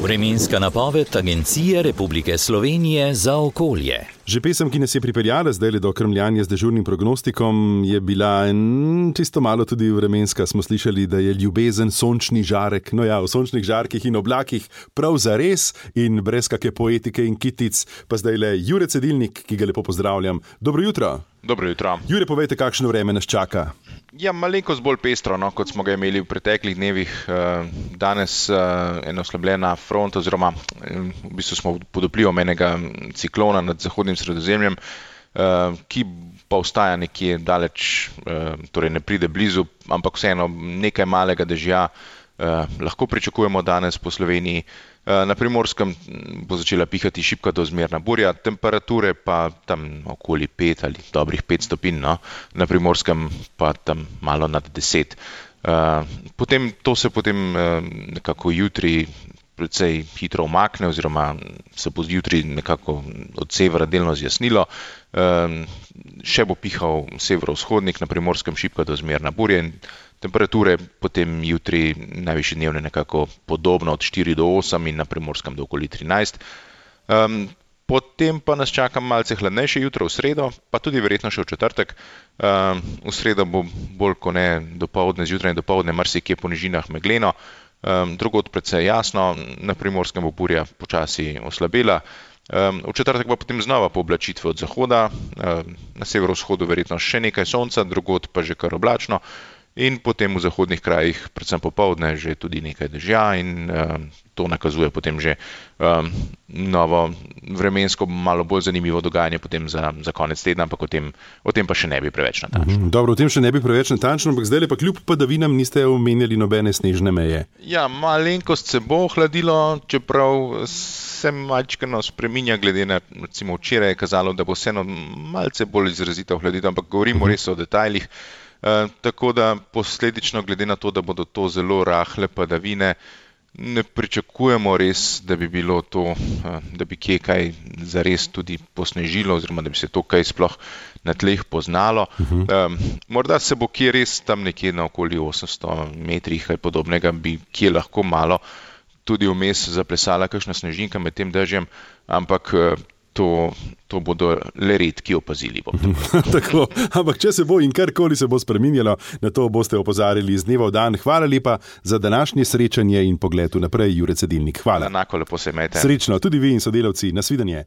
Vremenska napoved Agencije Republike Slovenije za okolje. Že pesem, ki nas je pripeljala zdaj do krmljanja z dežurnim prognostikom, je bila čisto malo tudi vremenska. Smo slišali, da je ljubezen sončni žarek. No ja, v sončnih žarkih in oblakih prav zares in brez kakšne poetike in kitic. Pa zdaj le Jure Cedilnik, ki ga lepo pozdravljam. Dobro jutro. Dobro jutro. Jure, povejte, kakšno vreme nas čaka. Ja, malenkost bolj pestro, kot smo ga imeli v preteklih dnevih. Danes ena oslabljena fronta, oziroma v bistvu smo pod vplivom enega ciklona nad zahodnim Sredozemljem, ki pa ostaja nekje daleč, torej ne pride blizu, ampak vseeno nekaj malega dežja lahko pričakujemo danes po Sloveniji. Na Primorskem bo začela pihati šibka do zmerna burja, temperature pa tam okoli 5 ali dobrih 5 stopinj, no? Na Primorskem pa tam malo nad 10. To se potem nekako jutri precej hitro umakne, oziroma se bo jutri nekako od severa delno zjasnilo. Še bo pihal severovzhodnik, na Primorskem šibka do zmerna burja in temperature potem jutri najvišje dnevne nekako podobno od 4 do 8 in na Primorskem do okoli 13. Potem pa nas čaka malce hladnejše jutro v sredo, pa tudi verjetno še v četrtek. V sredo bo bolj kot ne dopoldne, zjutraj in dopoldne marsikje po nižinah megleno, drugod precej jasno, na Primorskem bo burja počasi oslabela. V četrtek pa potem znova pooblačitve od zahoda, na severovzhodu verjetno še nekaj sonca, drugod pa že kar oblačno. In potem v zahodnih krajih, predvsem popoldne, že tudi nekaj dežja in to nakazuje potem že novo vremensko, malo bolj zanimivo dogajanje potem za konec tedna, ampak o tem pa še ne bi preveč natančno. Dobro, o tem še ne bi preveč natančno, ampak zdaj pa kljub padavinam niste omenjali nobene snežne meje. Ja, malenkost se bo hladilo, čeprav se malčkeno spreminja, glede na, recimo včeraj je kazalo, da bo vseeno malce bolj izrazito hladilo, ampak govorimo res o detajlih. Tako da posledično, glede na to, da bodo to zelo rahle padavine, ne pričakujemo res, da bi bilo to, da bi kje kaj zares tudi posnežilo, oziroma da bi se to kaj sploh na tleh poznalo. Morda se bo kje res tam nekje na okoli 800 metrih kaj podobnega, bi kje lahko malo tudi vmes zaplesala kakšna snežinka med tem dežjem, ampak to bodo le redki opazili. Tako, ampak če se bo in karkoli se bo spreminjalo, na to boste opozarjali iz dneva v dan. Hvala lepa za današnje srečanje in pogled vnaprej, Jure Cedilnik. Hvala. Enako lepo se imejte. Srečno, tudi vi in sodelavci. Nasvidenje.